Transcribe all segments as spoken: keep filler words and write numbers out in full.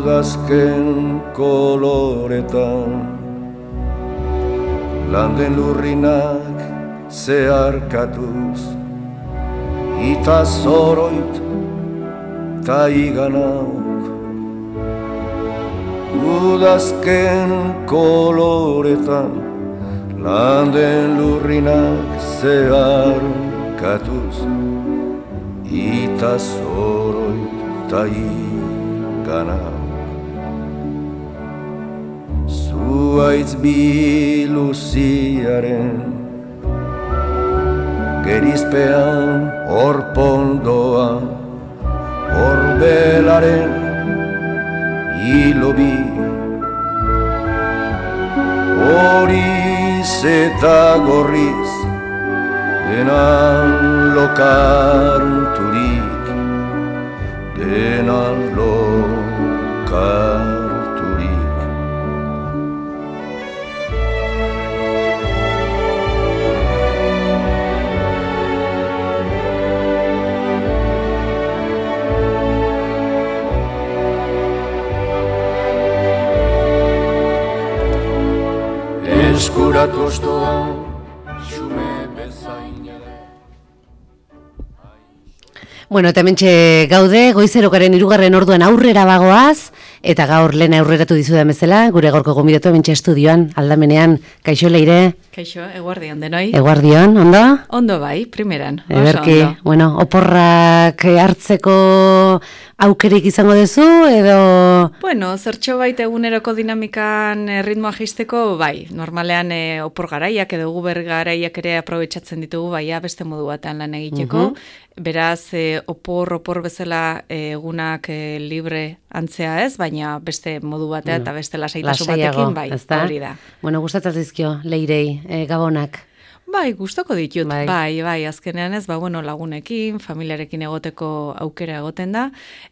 udazken koloretan, landen lurrinak zeharkatuz, ita zoroit ta iganauk. Udazken koloretan, landen lurrinak zeharkatuz, ita zoroit ta iganauk. Zuaitz biluziaren gerizpean orpondoa, orbelaren hilobi, horiz eta gorriz denan lokarturik, denan lokarturik. Eskuratu ostoa, xume bezainare. Bueno, eta hementxe gaude, goizerokaren hirugarren orduan aurrera bagoaz, eta gaur lehen aurreratu dizudan bezala, gure gaurko gonbidatu hementxe estudioan, aldamenean, kaixo Leire? Kaixo, eguardion denoi. Eguardion, ondo? Ondo bai, primeran, oso Eberki, ondo. Bueno, oporrak hartzeko aukerik izango duzu, edo... Bueno, zertxo bait eguneroko dinamikan eh, ritmoa jaisteko, bai, normalean eh, opor garaiak edo guber garaiak ere aprobetxatzen ditugu, baina beste modu batean lan egiteko. Mhm. Beraz, eh, opor, opor bezala eh, egunak eh, libre antzea ez, baina beste modu batea Bueno, eta beste lasaitasun lasaiago, batekin, bai, ezta? hori da. Bueno, gustatzen zaizkio, Leirei, eh, gabonak. Bai, gustoko ditut, Bai. bai, bai, azkenean ez, ba, bueno, lagunekin, familiarekin egoteko aukera egoten da,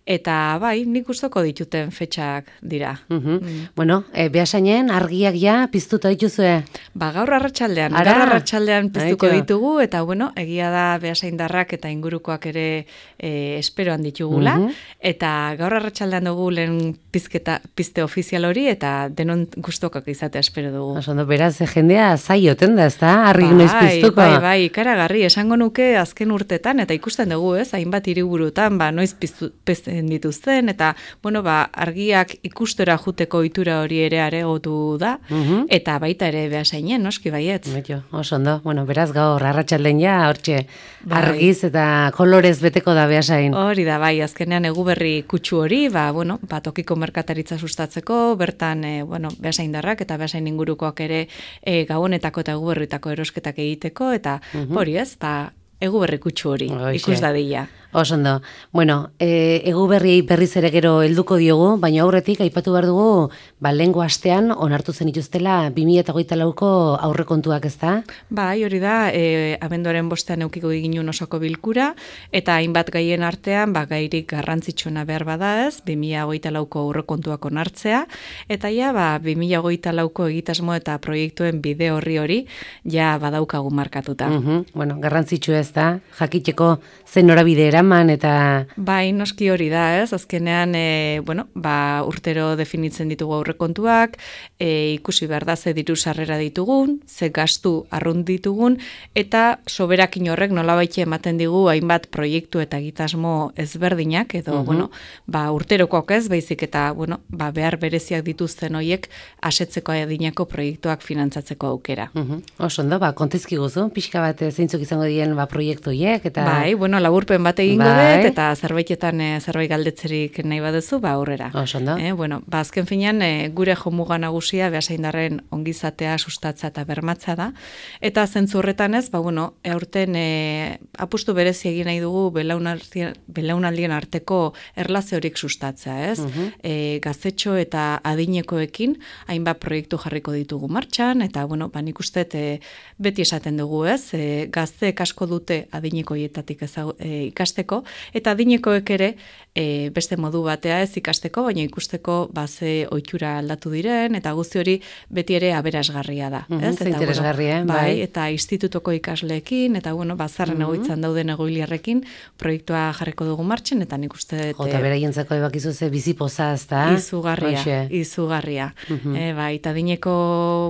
eta bai, nik gustoko dituten fetxak dira. Mhm. Mm. Bueno, e, behasainen argiak ja piztuta dituzue. Ba, gaur arratsaldean, Ara! gaur arratsaldean piztuko Aitio. ditugu, eta bueno, egia da behasaindarrak eta ingurukoak ere e, esperoan ditugula, Mhm. eta gaur arratsaldean dugu lehen pizketa, pizte ofizial hori, eta denon gustokak izatea espero dugu. Oso ondo, beraz, e, jendea zaioten da, ezta? Argi noiz piztuko. Bai, bai, ikaragarri, esango nuke azken urtetan, eta ikusten dugu, ez, hainbat hiriburutan, ba, noiz piztu, pizten dituzten, eta, bueno, ba, argiak ikustera juteko ohitura hori ere aregotu da, Mhm. eta baita ere behasainen, noski baietz. Betio, oso ondo. Bueno, beraz gaur arratsalden ja hortxe Bai. argiz eta kolorez beteko da behasain. Hori da, bai, azkenean eguberri kutsu hori, ba, bueno, ba, tokiko merkataritza sustatzeko, bertan, e, bueno, behasaindarrak eta behasain ingurukoak ere e, gabonetako eta eguberritako erosketak egiteko, eta hori ez, ba, eguberri kutsu hori, Hoxe. ikus dadila. Oso ondo. Bueno, e, egu berriei berriz ere gero helduko diogu, baina aurretik aipatu behar dugu, ba, lehengo astean onartu zen ituztela bi mila hogeita lauko aurrekontuak, ezta? Bai, hori da, e, abenduaren bostean eukiko diginun osoko bilkura, eta hainbat gaien artean, ba, gairik garrantzitsuena behar bada ez, bi mila hogeita lauko aurrekontuak onartzea, eta ja, ba, bi mila hogeita lauko egitasmo eta proiektuen bide horri hori, ja badaukagu markatuta. Mhm. Bueno, garrantzitsu ez da, jakiteko zen norabide eraman eta... Bai, noski hori da, ez? Azkenean, e, bueno, ba, urtero definitzen ditugu aurrekontuak, e, ikusi behar da ze diru sarrera ditugun, ze gastu arrunt ditugun, eta soberakin horrek nolabaitxe ematen digu hainbat proiektu eta egitasmo ezberdinak, edo, Mhm. bueno, ba, urterokoak ez, baizik eta, bueno, ba, behar bereziak dituzten hoiek asetzeko adinako proiektuak finantzatzeko aukera. Mhm. Oso ondo, ba, kontezkiguzu, pixka bat eh, zeintzuk izango diren ba, proiektu hiek, eta... Bai, bueno, laburpen bat egingo Bai. dut, eta zerbaitetan e, zerbait galdetzerik nahi baduzu, ba aurrera. Oso ondo. Eh, bueno, ba azken finean e, gure jomuga nagusia behasaindarren ongizatea sustatza eta bermatza da, eta zentzu horretan ez, ba bueno, aurten e, apustu berezi egin nahi dugu belaunaldien, belaunaldien arteko erlazio horik sustatzea, ez? Mhm. E, gaztetxo eta adinekoekin hainbat proiektu jarriko ditugu martxan, eta bueno, ba nik uste e, beti esaten dugu, ez? E, gazteek asko dute adinekoietatik ezagu, e, ikasteko ikasteko, eta adinekoek ere e, beste modu batea ez ikasteko, baina ikusteko baze ohitura aldatu diren, eta guzti hori beti ere aberasgarria da. Mm-hmm, ez? Eta, interesgarria, bueno, bai, bai. eta institutoko ikasleekin, eta bueno, bazarren mm-hmm. egoitzan dauden egoiliarrekin, proiektua jarriko dugu martxen, eta nik uste dut... Jota, beraientzako ebakizu ze bizipoza, ez da? Izugarria, Oixe. izugarria. Mm-hmm. E, bai, eta dineko,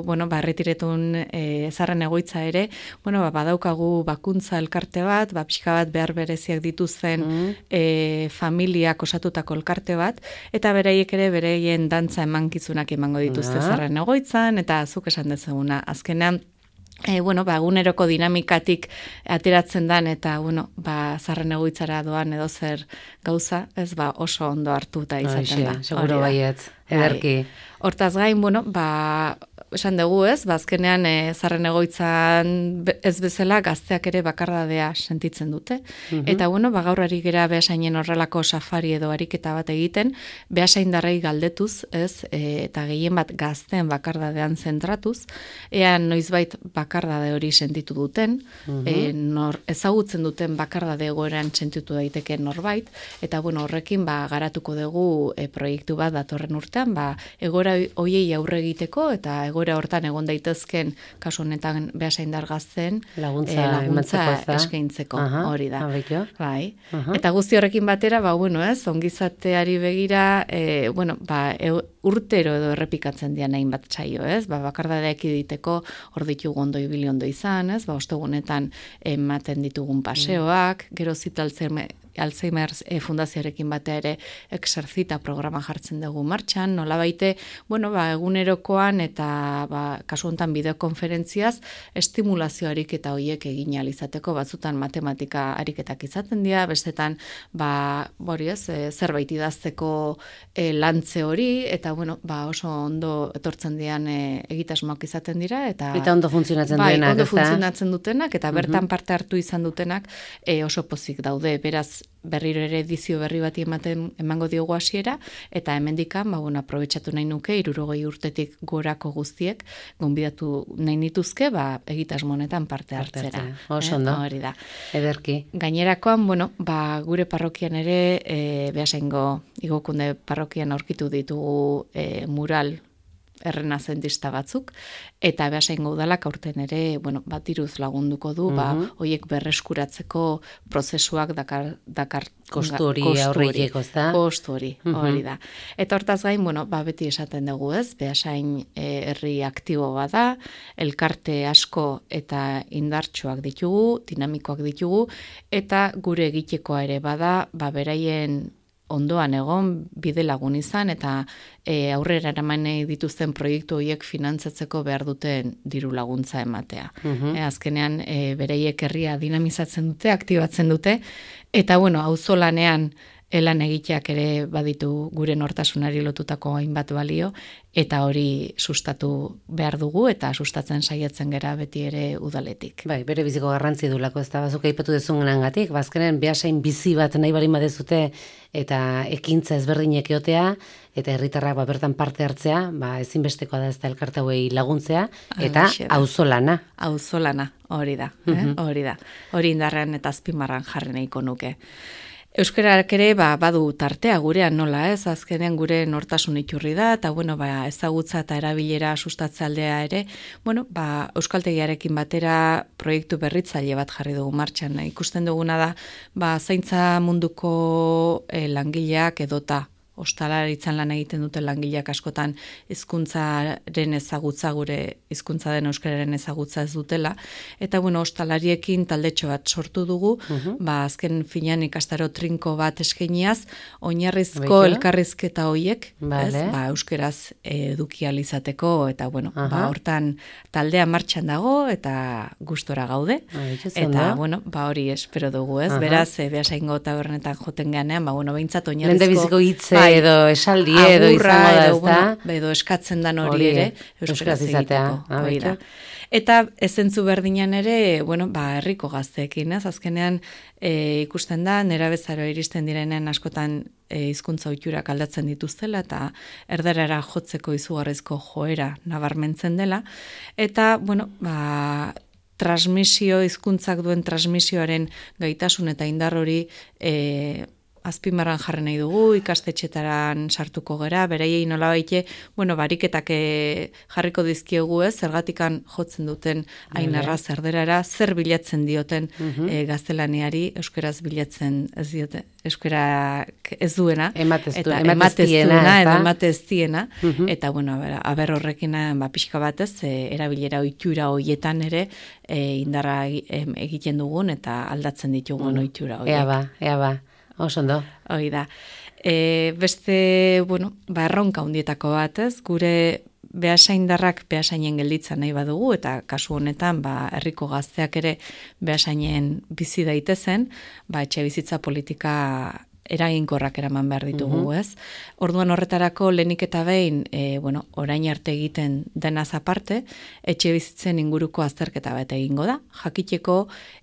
bueno, ba, erretiretun e, zarren egoitza ere, bueno, ba, badaukagu bakuntza elkarte bat, ba, pixka bat behar bereziak dituzten mm-hmm. e, familiak osatutako elkarte bat, eta beraiek ere bereien dantza emankizunak emango dituzte ah. zarren egoitzan, eta zuk esan dezaguna, azkenean, E, bueno, ba, eguneroko dinamikatik ateratzen dan eta bueno, ba, zarren egoitzara doan edo zer gauza, ez ba, oso ondo hartuta izaten da. Seguro baietz, ederki. Hortaz gain, bueno, ba, esan dugu ez, ba, azkenean e, zarren egoitzan ez bezala gazteak ere bakardadea sentitzen dute. Mm-hmm. Eta bueno, ba, gaur ari gera behasainen horrelako safari edo ariketa bat egiten, behasaindarrei galdetuz, ez, e, eta gehien bat gazteen bakardadean zentratuz, ea noizbait bakardade hori sentitu duten, mm-hmm. e, nor, ezagutzen duten bakardade egoeran sentitu daiteke norbait, eta bueno, horrekin ba, garatuko dugu e, proiektu bat datorren urtean, ba, egora hoiei aurre egiteko, eta egora hortan egon daitezken, kasu honetan behasaindar gazten, laguntza, e, laguntza eskaintzeko, Aha, hori da. Abeiko. Bai. Aha. Eta guzti horrekin batera, ba, bueno, ez, ongizateari begira, e, bueno, ba, e, urtero edo errepikatzen dian hainbat txaio, ez? Ba, bakardadeak iditeko, hor ditugu ondo ibili ondo izan, ez? Ba, ostegunetan ematen ditugun paseoak, mm. gero zitaltzen Alzheimer e, fundazioarekin batea ere exercita programa jartzen dugu martxan, nola baite, bueno, ba, egunerokoan eta ba, kasu honetan bideokonferentziaz estimulazio ariketa horiek egin alizateko, batzutan matematika ariketak izaten dira, bestetan ba, bori ez, e, zerbait idazteko e, lantze hori, eta bueno, ba, oso ondo etortzen dian e, egitasmoak izaten dira, eta, eta ondo funtzionatzen bai, dutenak, ondo funtzionatzen dutenak, eta bertan parte hartu izan dutenak e, oso pozik daude, beraz, berriro ere edizio berri bati ematen emango diogu hasiera, eta hemendikan ba bueno, aprobetxatu nahi nuke hirurogei urtetik gorako guztiek gonbidatu nahi nituzke, ba egitasmo honetan parte hartzera. Oso ondo. Hori da. Ederki. Gainerakoan, bueno, ba gure parrokian ere e, Beasaingo Igokunde parrokian aurkitu ditugu e, mural errenazentista batzuk, eta Beasaingo udalak aurten ere, bueno, bat diruz lagunduko du, mm-hmm. ba, hoiek berreskuratzeko prozesuak dakar, dakar kostu hori aurreieko, ez da? Kostu hori, mm-hmm. hori da. Eta hortaz gain, bueno, ba, beti esaten dugu ez, Beasain e, herri aktibo bada, elkarte asko eta indartsuak ditugu, dinamikoak ditugu, eta gure egitekoa ere bada, ba, beraien ondoan egon, bide lagun izan, eta e, aurrera eramanei dituzten proiektu horiek finantzatzeko behar duten diru laguntza ematea. Mm-hmm. E, azkenean, e, bereiek herria dinamizatzen dute, aktibatzen dute, eta bueno, auzolanean elan egiteak ere baditu gure nortasunari lotutako hainbat balio, eta hori sustatu behar dugu, eta sustatzen saiatzen gera beti ere udaletik. Bai, bere biziko garrantzi dulako, ez da, bazuk aipatu dezungangatik, bazkenen Beasain bizi bat nahi barin badezute, eta ekintza ezberdinek eotea, eta herritarrak ba, bertan parte hartzea, ba, ezinbestekoa da ez da elkarte hauei laguntzea, eta auzolana. Auzolana, hori da, mm-hmm. eh? hori da. Hori indarrean eta azpimarran jarri nahiko nuke. Euskarak ere ba, badu tartea gurean nola ez, azkenean gure nortasun iturri da, eta bueno, ba, ezagutza eta erabilera sustatze aldea ere, bueno, ba, euskaltegiarekin batera proiektu berritzaile bat jarri dugu martxan. Ikusten duguna da, ba, zaintza munduko e, langileak edota, ostalaritzan lan egiten dute langileak askotan hizkuntzaren ezagutza, gure hizkuntza den euskararen ezagutza ez dutela, eta bueno, ostalariekin taldetxo bat sortu dugu, uh-huh. ba, azken finean ikastaro trinko bat eskainiaz, oinarrizko Beiko? elkarrizketa hoiek, vale. ez, ba, euskeraz eduki alizateko, eta bueno, uh-huh. ba, hortan taldea martxan dago, eta gustora gaude, Beiko, eta bueno, ba, hori espero dugu, ez, uh-huh. beraz, e, Beasaingo tabernetan joten ganean, ba, bueno, behintzat oinarrizko hitze edo esaldi edo izango da, ez da? Bueno, edo eskatzen dan hori, hori ere, euskaraz egiteko. Da. Eta ezentzu berdinan ere, bueno, ba, herriko gazteekin, ez? Azkenean e, ikusten da, nerabezaro iristen direnen askotan e, hizkuntza ohiturak aldatzen dituztela, eta erdarara jotzeko izugarrizko joera nabarmentzen dela. Eta, bueno, ba, transmisio, hizkuntzak duen transmisioaren gaitasun eta indar hori e, azpimarran jarri nahi dugu, ikastetxetaran sartuko gera, beraiei nola baite, bueno, bariketak e, jarriko dizkiegu ez, zergatikan jotzen duten hain arraz erderara, zer bilatzen dioten uh-huh. e, gaztelaniari, euskeraz bilatzen ez diote, euskera ez duena, ematez eta ematez duena, ez edo da? ematez diena, uh-huh. eta bueno, aber, aber horrekin ba, pixka batez, e, erabilera ohitura hoietan ere, e, indarra egiten dugun, eta aldatzen ditugun bueno, ohitura hoiek. Ea ba, ea ba. Oso ondo. Hoi da. E, beste, bueno, ba, erronka hundietako bat, ez? Gure behasaindarrak behasainen gelditza nahi badugu, eta kasu honetan, ba, herriko gazteak ere behasainen bizi daitezen, ba, etxe bizitza politika eraginkorrak eraman behar ditugu, uh-huh. ez? Orduan horretarako lehenik eta behin, e, bueno, orain arte egiten denaz aparte, etxe bizitzen inguruko azterketa bat egingo da. Jakiteko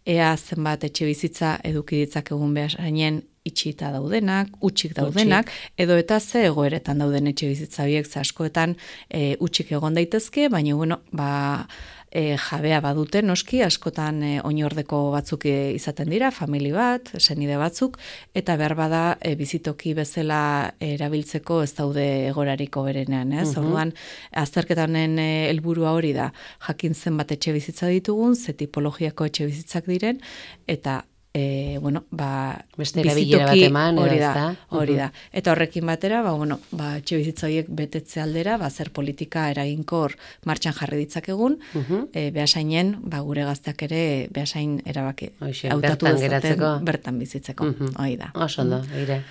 ea zenbat etxe bizitza eduki ditzakegun behasainen itxita daudenak, utxik daudenak, utxik. Edo eta ze egoeretan dauden etxe bizitza biek, ze askoetan e, utxik egon daitezke, baina bueno, ba, e, jabea badute noski, askotan e, oinordeko batzuk e, izaten dira, famili bat, senide batzuk, eta behar bada e, bizitoki bezala erabiltzeko ez daude egorariko berenean, ez? Uh-huh. Orduan, azterketa honen e, helburua hori da, jakin zenbat etxe bizitza ditugun, ze tipologiako etxe bizitzak diren, eta E, bueno, ba, beste erabilera bat eman, hori da, hori da. Eta horrekin batera, ba, bueno, ba, etxe bizitza horiek betetze aldera, ba, zer politika eraginkor martxan jarri ditzakegun, uh-huh. e, behasainen, ba, gure gazteak ere behasain erabaki hautatu dezaten bertan bizitzeko, uh-huh. hori da. Oso ondo, eire.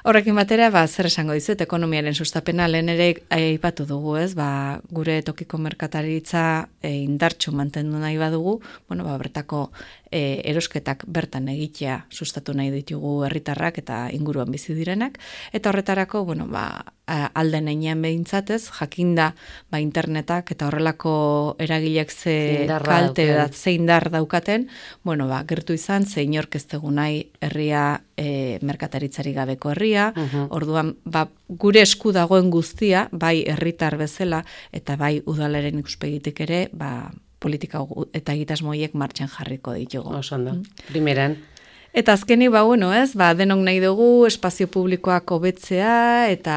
Horrekin batera, ba, zer esango dizuet, ekonomiaren sustapena lehen ere aipatu dugu, ez? Ba, gure tokiko merkataritza e, indartxu mantendu nahi badugu, bueno, ba, bertako e, erosketak bertan egitea sustatu nahi ditugu herritarrak eta inguruan bizi direnak, eta horretarako, bueno, ba, alden einean behintzatez, jakinda ba, internetak eta horrelako eragileak ze Indarra kalte da, ze indar daukaten, bueno, ba, gertu izan, ze inork ez dugu nahi herria e, merkataritzari gabeko herria, uh-huh. orduan, ba, gure esku dagoen guztia, bai herritar bezala, eta bai udalaren ikuspegitik ere, ba, politika eta egitasmoiek martxan jarriko ditugu. Oso ondo, primeran. Eta azkeni, ba, bueno, ez, ba, denok nahi dugu espazio publikoak hobetzea, eta,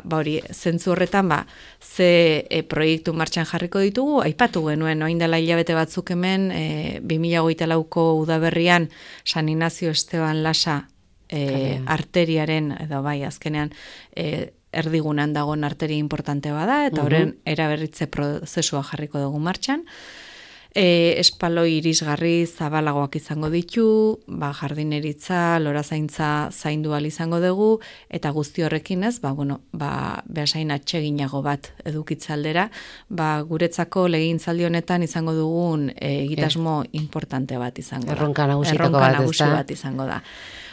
ba, hori, zentzu horretan, ba, ze e, proiektu martxan jarriko ditugu, aipatu genuen, oain dela hilabete batzuk hemen, e, bi mila hogeita lauko udaberrian San Ignacio Esteban Lasa e, arteriaren, edo bai, azkenean, e, erdigunan dagoen arteri importante bada, eta horren uh-huh. eraberritze prozesua jarriko dugu martxan. E, espaloi irisgarri zabalagoak izango ditu, ba, jardineritza, lorazaintza zaindu ahal izango dugu, eta guzti horrekin ez, ba, bueno, ba, behasain atseginago bat edukitza aldera, ba, guretzako legegintzaldi honetan izango dugun e, egitasmo eh. importante bat izango da. Erronka nagusitako Erronka bat, nagusi bat izango da.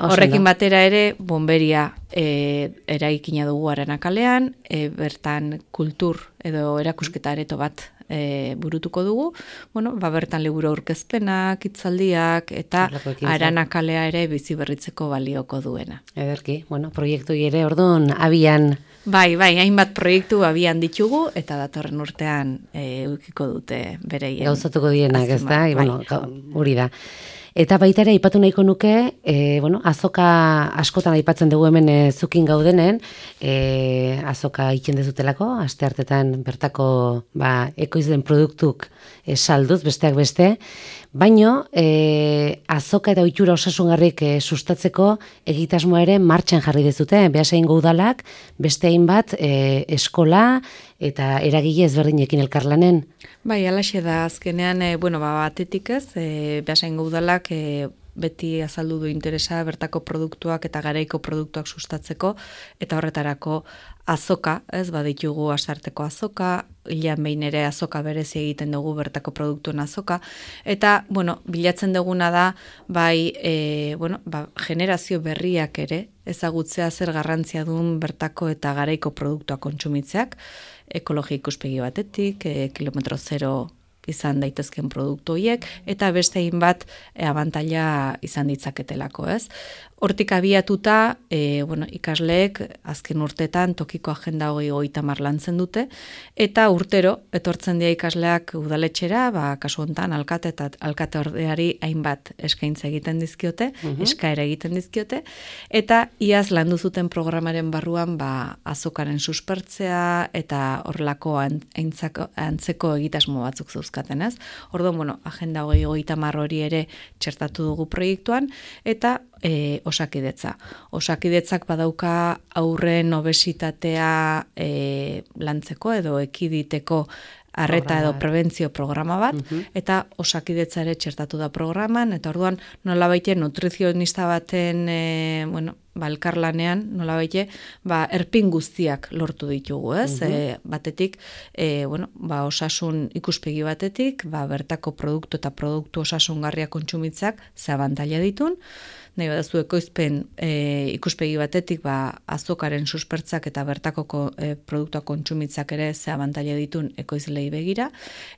Horrekin batera ere, bomberia e, eraikina dugu Aranakalean, e, bertan kultur edo erakusketa areto bat E, burutuko dugu, bueno, ba, bertan liburu aurkezpenak, hitzaldiak eta Aranakalea ere bizi berritzeko balioko duena. Ederki, bueno, proiektu ere orduan abian. Bai, bai, hainbat proiektu abian ditugu eta datorren urtean e, ukiko dute bereien. Gauzatuko dienak, ez da? Bai. Bueno, hori da. Eta baita ere aipatu nahiko nuke, e, bueno, azoka askotan aipatzen dugu hemen e, zukin gaudenen, e, azoka iken dezutelako, aste hartetan bertako ba, ekoizden produktuk e, salduz, besteak beste, baino e, azoka eta ohitura osasungarrik e, sustatzeko egitasmoa ere martxan jarri dezute, Beasaingo udalak, beste hainbat e, eskola eta eragile ezberdinekin elkarlanen. Bai, alaxe da, azkenean, e, bueno, ba, batetik ez, e, Beasaingo udalak e, beti azaldu du interesa bertako produktuak eta garaiko produktuak sustatzeko, eta horretarako azoka, ez, baditugu asarteko azoka, hilean behin ere azoka berezi egiten dugu bertako produktuen azoka, eta, bueno, bilatzen duguna da, bai, e, bueno, ba, generazio berriak ere, ezagutzea zer garrantzia duen bertako eta garaiko produktuak kontsumitzeak, ekologia ikuspegi batetik, e, kilometro zero izan daitezken produktu horiek, eta beste hainbat e, abantaila izan ditzaketelako, ez? Hortik abiatuta, e, bueno, ikasleek azken urtetan tokiko agenda hogei hogeita hamar lantzen dute, eta urtero etortzen dira ikasleak udaletxera, ba, kasu honetan alkate eta alkate ordeari hainbat eskaintza egiten dizkiote, uh-huh. eskaera egiten dizkiote, eta iaz landu zuten programaren barruan ba, azokaren suspertzea eta horrelako aintzako, antzeko egitasmo batzuk zeuzkaten, ez? Orduan, bueno, agenda hogei hogeita hamar hori ere txertatu dugu proiektuan, eta E, osakidetza. Osakidetzak badauka aurren obesitatea e, lantzeko edo ekiditeko arreta edo prebentzio programa bat, uh-huh. eta osakidetza ere txertatu da programan, eta orduan nola baite nutrizionista baten e, bueno, ba, elkarlanean, nola baite, ba, erpin guztiak lortu ditugu, ez? Uh-huh. E, batetik, e, bueno, ba, osasun ikuspegi batetik, ba, bertako produktu eta produktu osasungarria kontsumitzak ze abantaila ditun, nahi badazu ekoizpen e, ikuspegi batetik ba, azokaren suspertzak eta bertako ko, e, produktua kontsumitzak ere ze abantaila ditun ekoizlei begira,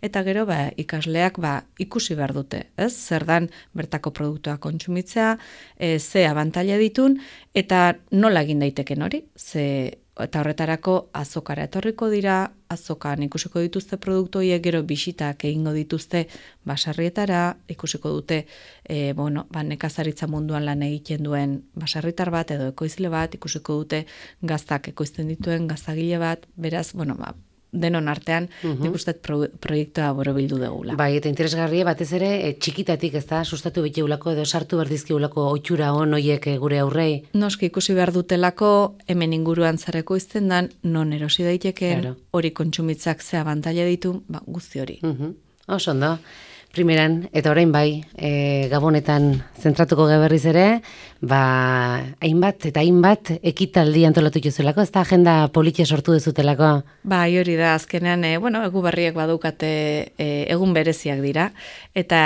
eta gero ba, ikasleak ba, ikusi behar dute, ez? Zer dan bertako produktua kontsumitzea, e, ze abantaila ditun, eta nola egin daiteken hori, ze eta horretarako azokara etorriko dira, azokan ikusiko dituzte produktu horiek, gero bisitak egingo dituzte baserrietara, ikusiko dute e, bueno, ba, nekazaritza munduan lan egiten duen baserritar bat edo ekoizle bat, ikusiko dute gaztak ekoizten dituen gaztagile bat, beraz, bueno, ba, denon artean, uh-huh. nik uste pro, proiektua borobildu degula. Bai, eta interesgarria batez ere, e, txikitatik, ez da, sustatu biteulako edo sartu berdizkiulako oitxura on hoiek gure aurrei. Noski ikusi behar dutelako, hemen inguruan zareko izten dan, non erosi daitekeen, hori claro. Kontsumitzak ze abantaila ditu, ba, guzti hori. Uh-huh. Oso ondo. Primeran, eta orain bai, e, Gabonetan zentratuko geberriz ere, ba, hainbat eta hainbat ekitaldi antolatu jozelako, ez da agenda politia sortu dezutelako? Bai, hori da, azkenean, e, bueno, egu berriak badukate e, egun bereziak dira, eta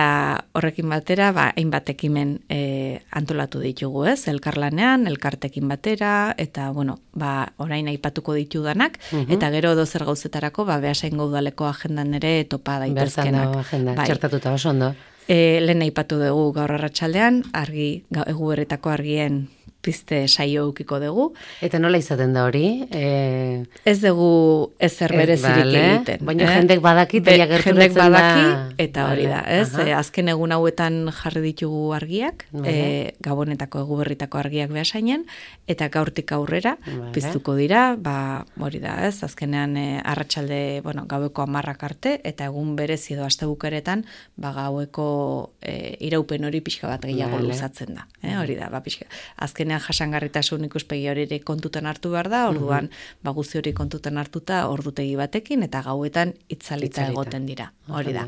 horrekin batera, ba, hainbat ekimen e, antolatu ditugu, ez? Elkarlanean, elkartekin batera, eta, bueno, ba, orain aipatuko ditudanak, uh-huh. eta gero dozer gauzetarako, ba, Beasaingo udaleko agendan ere topa daitezkenak. Bertan agenda, bai. Txertatu eta oso ondo. E, lehen aipatu dugu gaur arratsaldean, argi, egu berretako argien pizte saio ukiko dugu. Eta nola izaten da hori? E... Ez dugu ezer berezirik egiten. Baina eh? jendek badaki, Be, jendek badaki, da... eta hori da. Ez? E, azken egun hauetan jarri ditugu argiak, e, Gabonetako egu berritako argiak Beasainen, eta gaurtik aurrera vale. Piztuko dira, ba, hori da, ez? Azkenean e, arratsalde, bueno, gaueko hamarrak arte, eta egun berezi edo astebukeretan, ba, gaueko e, iraupen hori pixka bat gehiago vale. Luzatzen da. Eh? Hori da, ba, pixka. Azken jasangarritasun ikuspegi hori ere kontutan hartu behar da, orduan uh-huh. ba, guzti hori kontutan hartuta ordutegi batekin, eta gauetan itzalita, itzalita. Egoten dira. Hori da.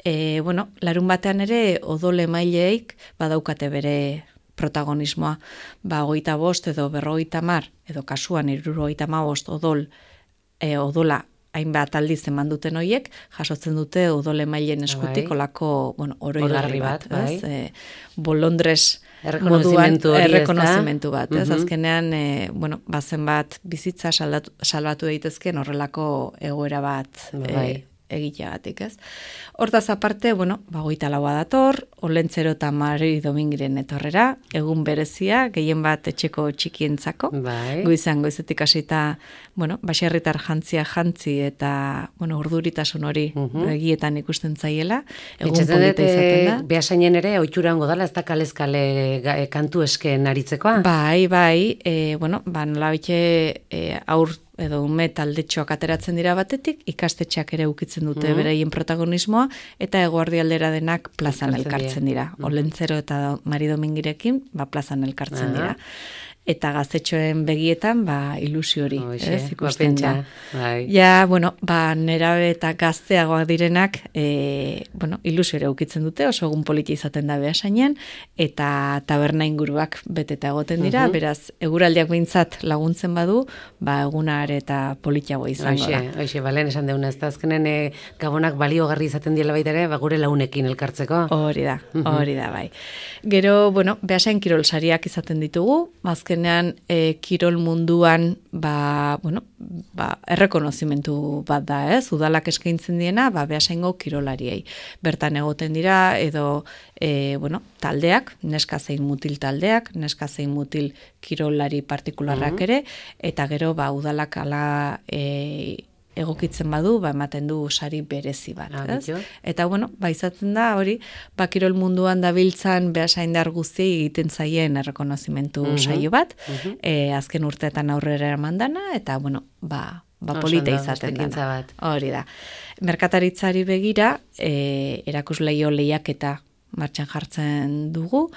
E, bueno, larun batean ere odol emaileik badaukate bere protagonismoa, ba, hogeita bost edo berrogeita mar, edo kasuan hirurogeita hamabost odol, e, odola hainbat aldiz eman duten hoiek, jasotzen dute odol emaileen eskutik bai. Olako, bueno, oroigarri bat, bat bai. e, bolondres errekonozimentu hori, errekonozimentu bat, ez? Uh-huh. Azkenean, e, bueno, bazen bat bizitza saldatu, salbatu daitezken horrelako egoera bat bai. e, egiteagatik, ez? Hortaz aparte, bueno, ba, hogeita laua dator, Olentzero eta Mari Domingiren etorrera, egun berezia, gehien bat etxeko txikientzako, bai. Goizan goizetik hasita, bueno, baserritar jantzia jantzi eta, bueno, urduritasun hori uh-huh. egietan ikusten zaiela, egun polita izaten da. Beasainen ere, oitxura hongo dala, ez da kalezkale kantu esken aritzekoa? Bai, bai, e, bueno, ba, nola bitxe e, aur edo ume taldetxoak ateratzen dira batetik, ikastetxeak ere ukitzen dute mm-hmm. beraien protagonismoa, eta eguerdialdera denak plazan elkartzen dira. Mm-hmm. Olentzero eta Mari Domingirekin, ba, plazan elkartzen uh-huh. dira. Eta gaztetxoen begietan, ba, ilusio hori, ez, ikusten da. Bai. Ja, bueno, ba, nerabe eta gazteagoak direnak, e, bueno, ilusio ere ukitzen dute, oso egun politi izaten da Beasainen, eta taberna inguruak beteta egoten dira, uh-huh. beraz, eguraldiak behintzat laguntzen badu, ba, egunar eta politiago izango oixe, da. Oixe, balen esan deuna, ez da azkenen e, Gabonak baliogarri izaten diela baita ere, ba, gure launekin elkartzeko. Hori da, hori da, bai. Gero, bueno, Beasain kirol sariak izaten ditugu, azken azkenean e, kirol munduan ba, bueno, ba, errekonozimentu bat da, ez? Udalak eskaintzen diena, ba, Beasaingo kirolariei. Bertan egoten dira, edo e, bueno, taldeak, neska zein mutil taldeak, neska zein mutil kirolari partikularrak Mhm. ere, eta gero ba, udalak ala e, egokitzen badu, ba, ematen du sari berezi bat, Ah, ez? bitxo. Eta, bueno, ba, izaten da, hori, ba, kirol munduan dabiltzan behasaindar guztiei egiten zaien errekonozimentu Mhm. saio bat, Mhm. e, azken urteetan aurrera eraman dana, eta, bueno, ba, ba Oso polita ondo, izaten beste ekintza dana. bat. Hori da. Merkataritzari begira, e, erakusleio lehiaketa martxan jartzen dugu,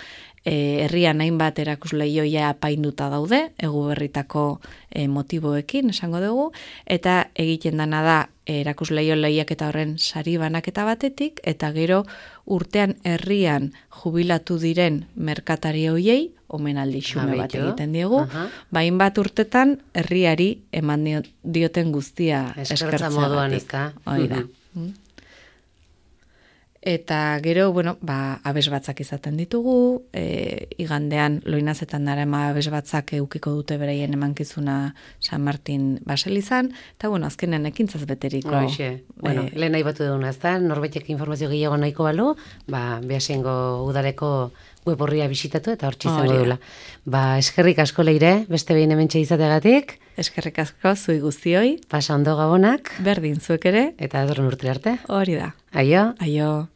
e, herrian hainbat erakusleioia apainduta daude, egu berritako e, motiboekin, esango dugu, eta egiten dana da e, erakusleio lehiaketa horren sari banaketa batetik, eta gero urtean herrian jubilatu diren merkatari hoiei, omenaldi xume bat Abeitu. egiten diegu, Aha. ba, hainbat urtetan herriari eman dio- dioten guztia Eskertza eskertzeagatik. moduan, ezta? Hori da. Mm. Eta gero, bueno, ba, abes batzak izaten ditugu, e, igandean loinazetan dara ema abes batzak eukiko dute beraien emankizuna San Martin baselizan, eta bueno, azkenen ekintzaz beteriko. Hoxe, bueno, e, lehen nahi batu duguna, ezta? Norbaitek informazio gehiago nahiko balu, ba, Beasaingo udaleko web horria bisitatu eta hortxe izango Hori da. dula. Ba, eskerrik asko Leire, beste behin hementxe izateagatik, eskerrik asko zui guztioi, pasa ondo gabonak, berdin zuek ere, eta datorren urtera arte. hori da. Aio! Aio.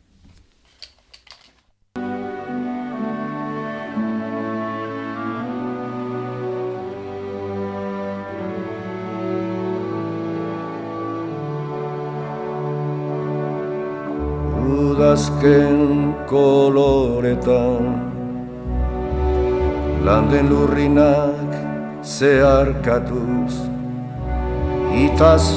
Udazken koloretan landen lurrinak zeharkatuz itaz